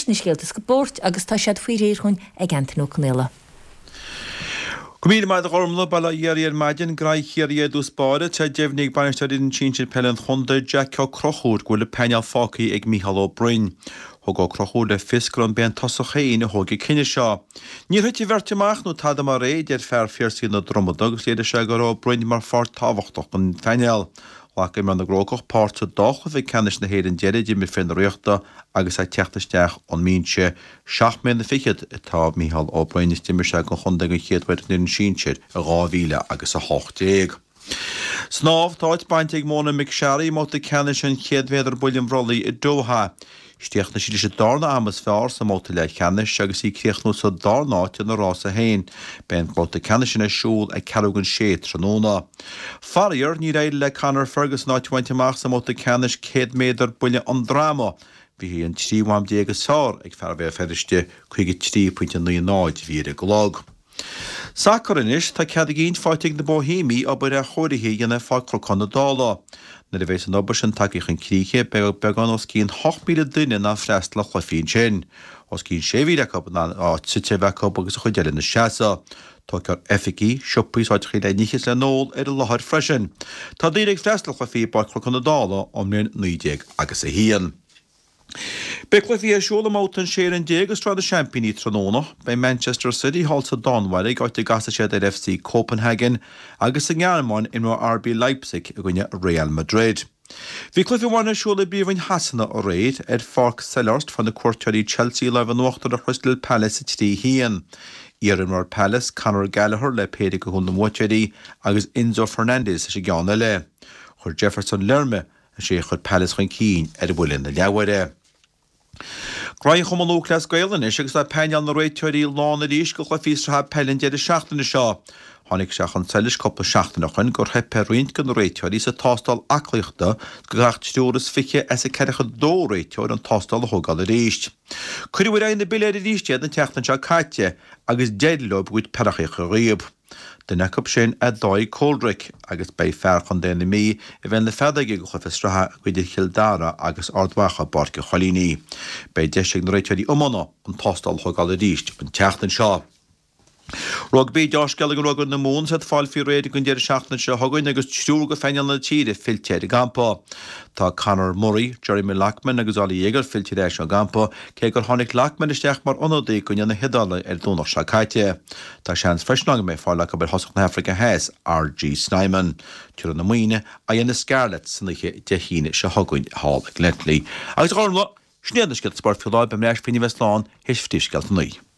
na scéalta spóirt agus tá siad faoi réir dhúinn ag Antain Ó Conaola. Go raibh míle maith agat a Ghormlaith, bail ó Dhia oraibh ar maidin, Graí Chiarraí i dtús báire, tá deimhnithe ag bainisteoir fhoireann sinsir peile an chontae, Jack Ó Conchúir, go bhfuil an painéal fágtha ag Mícheál Ó Broin. Thug Ó Conchúir le fios gurb é an tosach féin a thóg an cinneadh seo. Níor thit an bheirt amach nó tada mar é, a deir fear Phiarsaigh na Dromada agus léirigh sé go raibh Ó Broin mar pháirt tábhachtach den phainéal. Ghlac imreoir na gCrócach páirt sa dá chluiche ceannais na hÉireann deiridh a d'imir fir na Ríochta agus é ag teacht isteach ón mbinse. Seacht mbliana fichead atá Mícheál Ó Broin is d'imir sé don chontae den chéad uair don fhoireann sinsir i 2000 agus 18. Snámh, Tá áit bainte ag Mona McSharry i mbabhta ceannais an 100 méadar buille an bhrollaigh i Doha. Chríochnaigh sí leis an darna am is fearr sa mbabhta leathcheannais agus í ag críochnú sa darna háit ina rása féin. Beidh an babhta ceannais sin ar siúl ag ceathrú don sé tráthnóna. Faraor, níor éirigh le Conor Ferguson áit a bhaint amach sa mbabhta ceannais 100 méadar buille an droma. Bhí an 13 am is fearr ag fear Bhéal Feirste, 53.90 a bhí ar an gclog. Sacar anois, tá cead a gcinn faighte ag na Bóihéimigh obair athchóirithe a dhéanamh ar Pháirc Chnocán na Dála. Nuair a bheas an obair sin tagtha chun críche, beidh beagán os cionn 8,000 duine in ann freastal ar chluichí ansin. Os cionn 6,000 acu in ann áit suite a bheith acu agus an chuid eile ina seasamh. Tógfar oifigí, siopaí is áiteachaí le n-ithe is le n-ól ar an láthair freisin. Tá daoine ag freastal ar chluichí i bPáirc Chnocán na Dála ón mbliain 19 agus a haon. Beidh cluichí ar siúl i mbabhta an 16 fhoireann de Shraith na Seaimpíní tráthnóna. Beidh Manchester City thall sa Danmhairg, áit a gcasfaidh siad ar FC Copenhagen, agus sa nGearmáin, imreoidh RB Leipzig i gcoinne Real Madrid. Bhí cluiche amháin ar siúl i bPríomhroinn Shasana aréir. Ar Pháirc Selhurst fuair na cuairteoirí Chelsea lámh in uachtar ar Chrystal Palace 3-1. Iar-imreoir Palace, Conor Gallagher le péire de chúil na mbuaiteoirí agus Enzo Fernandez leis an gceann eile. Chuir Jefferson Lerma Is é a chuir Palace chun cinn ar bhuille na leathuaire. Graí Chumann Lúthchleas Gael anois agus tá painéal na réiteoirí lán arís do chluichí sraithe peile an deireadh seachtaine seo. Tháinig sé chun solais cúpla seachtain ó shoin gur theip ar roinnt de na réiteoirí sa tástáil aclaíochta is go gcaithfeadh triúr is fiche as an 42 réiteoir an tástáil a thógáil arís. Cuireadh ar aghaidh na bpiléar arís iad an tseachtain seo caite agus d'éirigh leo a gcuid peireachaí a chur dhíob. Duine acu sin é Dáithí Coldrick agus beidh fear chontae na Mí i bhfeighil na feadóige do chluiche sraithe idir Chill Dara agus Ard Mhacha i bPáirc an Choilínigh. Beidh deis ag na réiteoirí iomána an tástáil a thógáil arís an tseachtain seo. Rugbaí, Deá-scéala do Rugbaí na Mumhan is iad ag fáil faoi réir don deireadh seachtaine seo chugainn agus triúr de phainéal na tíre fillte ar an gcampa. Tá Conor Murray, Jeremy Loughman agus Oli Jager fillte ar ais ón gcampa, cé gur tháinig Loughman isteach mar ionadaí i gcoinne na hIodáile ar an Domhnach seo caite. Tá seans freisin ann go mbeidh fáil acu ar thosach na hAfraice Theas, RG Snyman. Tabharfaidh na Muimhnigh aghaidh ar na Scarlets san oíche Dé hAoine seo chugainn thall i nGlenties. Agus a Ghormfhlaith, sin iad na scéalta spóirt faoi láthair, beidh mé ar ais faoina bheith slán théis phríomhscéalta an lae.